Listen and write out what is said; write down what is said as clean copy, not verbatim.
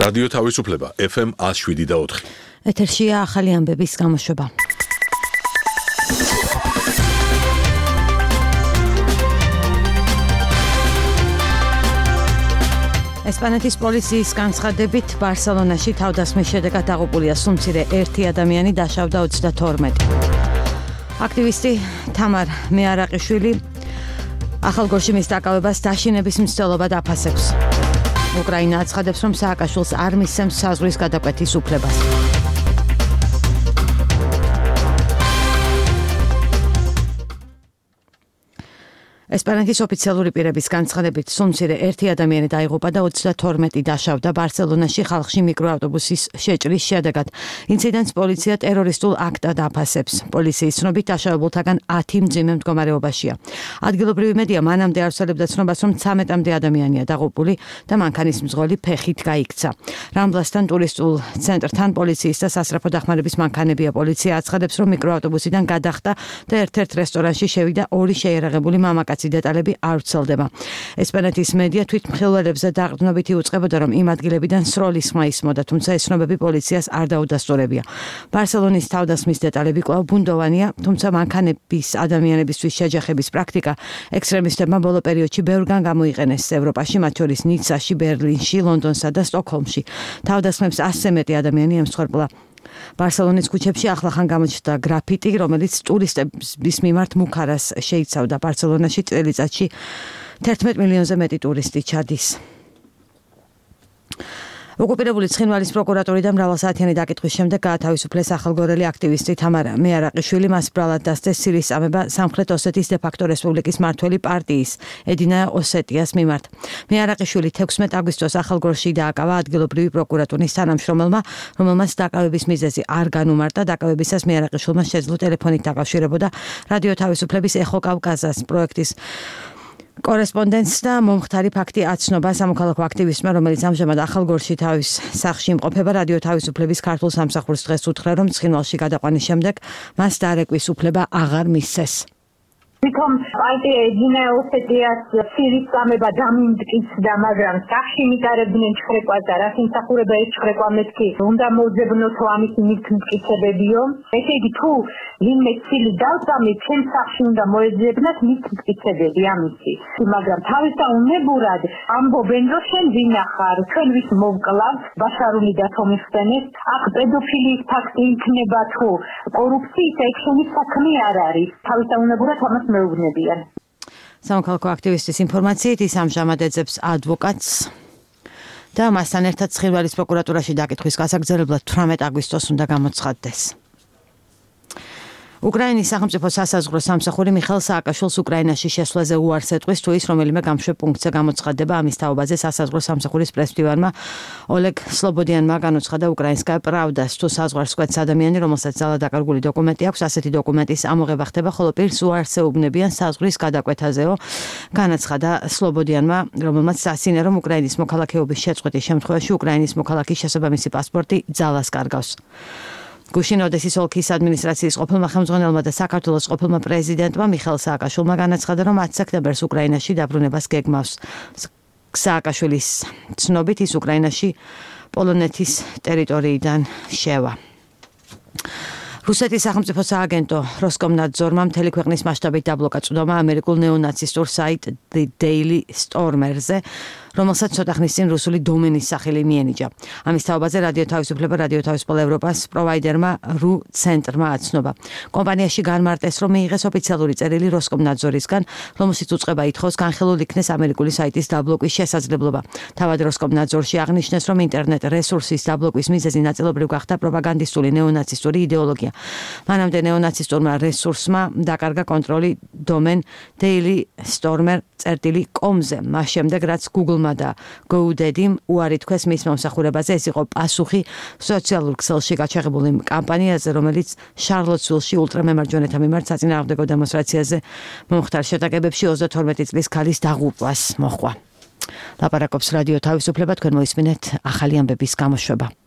რადიო თავისუფლება FM 107.4. ეთერშია ახალი ამბების გამოშვება. ესპანეთის პოლიციის განცხადებით ბარსელონაში თავდასხმის შედეგად დაღუპულია სულ-მცირე 1 ადამიანი, დაშავდა 32. აქტივისტი თამარ მეარაყიშვილი ახალგორში მის დაკავებას დაშინების მცდელობა დაფასებს. უკრაინა აცხადებს, რომ სააკაშვილს არ მისცემს საზღვრის გადაკვეთის უფლებას. ესპანეთის ოფიციალური პირების განცხადებით სულ-მცირე 1 ადამიანი დაიღუპა და 32 დაშავდა ბარსელონაში ხალხში მიკროავტობუსის შეჭრის შედეგად. ინციდენტს პოლიცია ტერორისტულ აქტად აფასებს. პოლიციის ცნობით დაშავებულთაგან 10 მძიმე მდგომარეობაშია. ადგილობრივი მედია მანამდე ავრცელებდა ცნობას, რომ 13-მდე ადამიანია დაღუპული და მანქანის მძღოლი ფეხით გაიქცა. რამბლასთან ტურისტულ ცენტრთან პოლიციის და სასწრაფო დახმარების მანქანებია. პოლიცია აცხადებს, რომ მიკროავტობუსიდან გადახტა და ერთ-ერთ რესტორანში შევიდა 2 შეიარაღებული მამაკაცი. დეტალები არ ვრცელდება. ესპანეთის მედია თვითმხილველებზე დაყრდნობით იუწყებოდა, რომ იმ ადგილებიდან სროლის ხმა ისმოდა, თუმცა ეს ცნობები პოლიციას არ დაუდასტურებია. ბარსელონის თავდასხმის დეტალები კვლავ ბუნდოვანია, თუმცა მანქანების ადამიანებისთვის შეჯახების პრაქტიკა ექსტრემისტებმა ბოლო პერიოდში ბევრგან გამოიყენეს ევროპაში, მათ შორის ნიცაში, ბერლინში, ლონდონსა და სტოკჰოლმში. თავდასხმებს 100-ზე მეტი ადამიანი ემსხვერპლა. ბარსელონის ქუჩებში ახლახან გამოჩნდა გრაფიტი, რომელიც ტურისტების მიმართ მუქარას შეიცავდა. ბარსელონაში წელიწადში 11 მილიონზე მეტი ტურისტი ჩადის. ოკუპირებული ცხინვალის პროკურატურიდან მრავალსაათიანი დაკითხვის შემდეგ გაათავისუფლეს ახალგორელი აქტივისტი თამარ მეარაყიშვილი. მას ბრალად დასდეს სირიის წამება სამხრეთ ოსეთის დე-ფაქტო რესპუბლიკის მმართველი პარტიის ედინა ოსეტიას მიმართ. მეარაყიშვილი 16 აგვისტოს ახალგორში დააკავა ადგილობრივი პროკურატურის თანამშრომელმა, რომელმაც დაკავების მიზეზი არ განუმარტა. დაკავებისას მეარაყიშვილმა შეძლო ტელეფონით დაკავშირებოდა რადიო თავისუფლების ეხო კავკაზას პროექტის კორესპონდენტს და მომხდარი ფაქტი აცნობა სამოქალაქო აქტივისტმა, რომელიც ამჟამად ახალგორში თავის სახლში იმყოფება. რადიო თავისუფლების ქართულ სამსახურს დღეს უთხრა, რომ ცხინვალში გადაყვანის შემდეგ მას დარეკვის უფლება აღარ მისცეს. თვითონ პარტია ედინა ოსეტიას სირიის წამება დამიმტკიცდა, მაგრამ სახში მიტარებდნენ ჩხრეკვას და რაც იმსახურება ეს ჩხრეკვა მეთქი უნდა მოძებნოთო ამის მიტკიცებებიო. ესე იგი თუ ვინმე ცილი დავწამით, ჩემ სახში უნდა მოეძებნათ მიტკიცებები ამისი. მაგრამ თავისაუნებურად ამბობენ, რომ შენ ვინახარ, ჩვენ ვის მოვკლავთ, ბაშარული დათომიხსენეს, აქ პედოფილიის ფაქტი იქნება თუ კორუფციის ექშენის საქმე არ არის. თავისაუნებურად ამას მეუბნებიან. სამოქალაქო აქტივისტის ინფორმაციით ის ამჟამად ეძებს ადვოკატს და მასთან ერთად ცხინვალის პროკურატურაში დაკითხვის გასაგრძელებლად 18 აგვისტოს უნდა გამოცხადდეს. უკრაინის სახელმწიფო სასაზღვრო სამსახური მიხეილ სააკაშვილს უკრაინაში შესვლაზე უარს ეტყვის, თუ ის რომელიმე გამშვებ პუნქტზე გამოცხადდება. ამის თაობაზე სასაზღვრო სამსახურის პრესმდივანმა ოლეგ სლობოდიანმა განუცხადა უკრაინსკაია პრავდას, თუ საზღვარს კვეთს ადამიანი, რომელსაც ძალადაკარგული დოკუმენტი აქვს, ასეთი დოკუმენტის ამოღება ხდება, ხოლო პირს უარს ეუბნებიან საზღვრის გადაკვეთაზეო. განაცხადა სლობოდიანმა, რომელმაც სასინე, რომ უკრაინის მოქალაქეობის შეწყვეტის შემთხვევაში უკრაინის მოქალაქის შესაბამისი პასპორტი ძალას კარგავს. გუშინ ოდესის ოლქის ადმინისტრაციის ყოფილმა ხელმძღვანელმა და საქართველოს ყოფილმა პრეზიდენტმა მიხეილ სააკაშვილმა განაცხადა, რომ 10 სექტემბერს უკრაინაში დაბრუნებას გეგმავს. სააკაშვილის ცნობით ის უკრაინაში პოლონეთის ტერიტორიიდან შევა. რუსეთის სახელმწიფო სააგენტო როსკომნადზორმა მთელი ქვეყნის მასშტაბით დაბლოკა წვდომა ამერიკულ ნეონაცისტურ საიტ The Daily Stormer-ზე, რომელსაც ცოტა ხნის წინ რუსული დომენის სახელი მიენიჭა. ამის თაობაზე რადიო თავისუფლება, რადიო თავისუფლება ევროპას პროვაიდერმა ਰੂ ცენტრმა აცნობა. კომპანიაში განმარტეს, რომ მიიღეს ოფიციალური წერილი როსკომნადზორისგან, რომელშიც უწყება ითხოვს განხილულ იქნეს ამერიკული საიტის დაბლოკვის შესაძლებლობა. თავად როსკომნადზორში აღნიშნეს, რომ ინტერნეტ რესურსის დაბლოკვის მიზეზი ნაწილობრივ გახდა პროპაგანდისტული ნეონაცისტური იდეოლოგია. მანამდე ნეონაცისტურმა რესურსმა დაკარგა კონტროლი დომენ dailystormer.com-ზე, მას შემდეგ რაც Google-მა და GoDaddy-მ უარი თქვეს მის მომსახურებაზე. ეს იყო პასუხი სოციალურ ქსელში გაჩაღებულ იმ კამპანიაზე, რომელიც შარლოტსვილში ულტრამემარჯვენეთა მიმართ საწინააღმდეგო დემონსტრაციაზე მომხდარ შეტაკებებში 32 წლის ქალის დაღუპვას მოჰყვა. ლაპარაკობს რადიო თავისუფლება, თქვენ მოისმინეთ ახალი ამბების გამოშვება.